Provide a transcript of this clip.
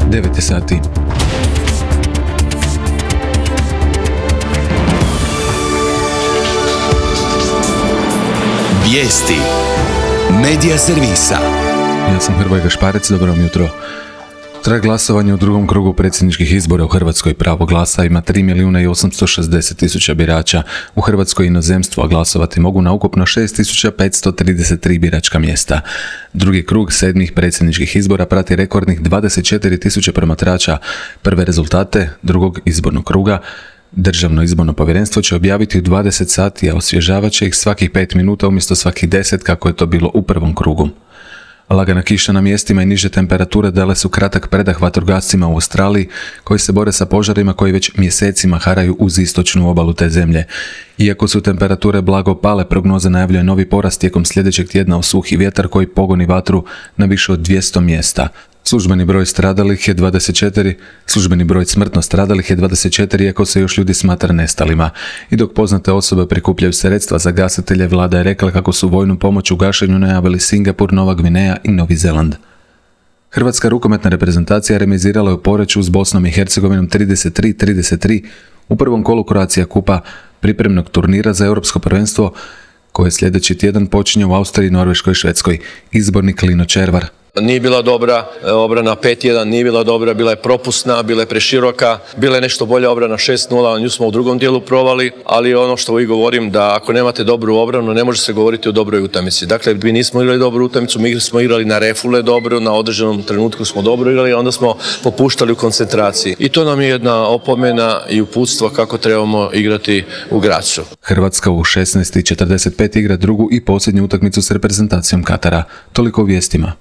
9 je sati. Vijesti Medija servisa. Ja sam Hrvoje Gašparec, dobro vam jutro. Traje glasovanje u drugom krugu predsjedničkih izbora u Hrvatskoj. Pravo glasa ima 3.860.000 birača u Hrvatskoj i inozemstvu, a glasovati mogu na ukupno 6.533 biračka mjesta. Drugi krug sedmih predsjedničkih izbora prati rekordnih 24.000 promatrača. Prve rezultate drugog izbornog kruga Državno izborno povjerenstvo će objaviti u 20 sati, a osvježavat će ih svakih 5 minuta umjesto svakih 10 kako je to bilo u prvom krugu. Lagana kiša na mjestima i niže temperature dale su kratak predah vatrogascima u Australiji koji se bore sa požarima koji već mjesecima haraju uz istočnu obalu te zemlje. Iako su temperature blago pale, prognoza najavljuje novi porast tijekom sljedećeg tjedna u suhi vjetar koji pogoni vatru na više od 200 mjesta. Službeni broj stradalih je 24, službeni broj smrtno stradalih je 24, iako se još ljudi smatra nestalima. I dok poznate osobe prikupljaju sredstva za gasitelje, vlada je rekla kako su vojnu pomoć u gašenju najavili Singapur, Nova Gvineja i Novi Zeland. Hrvatska rukometna reprezentacija remizirala je u Poreču s Bosnom i Hercegovinom 33-33 u prvom kolu Croatia Kupa, pripremnog turnira za europsko prvenstvo koje sljedeći tjedan počinje u Austriji, Norveškoj i Švedskoj. Izbornik Lino Červar. Nije bila dobra obrana 5-1, nije bila dobra, bila je propusna, bila je preširoka, bila je nešto bolja obrana 6-0, nju smo u drugom dijelu provali, ali ono što uvijek govorim da ako nemate dobru obranu ne može se govoriti o dobroj utakmici. Dakle, mi nismo igrali dobru utakmicu, mi smo igrali na refule dobro, na određenom trenutku smo dobro igrali, onda smo popuštali u koncentraciji. I to nam je jedna opomena i uputstvo kako trebamo igrati u Grazu. Hrvatska u 16:45 igra drugu i posljednju utakmicu s reprezentacijom Katara. Toliko u vijestima.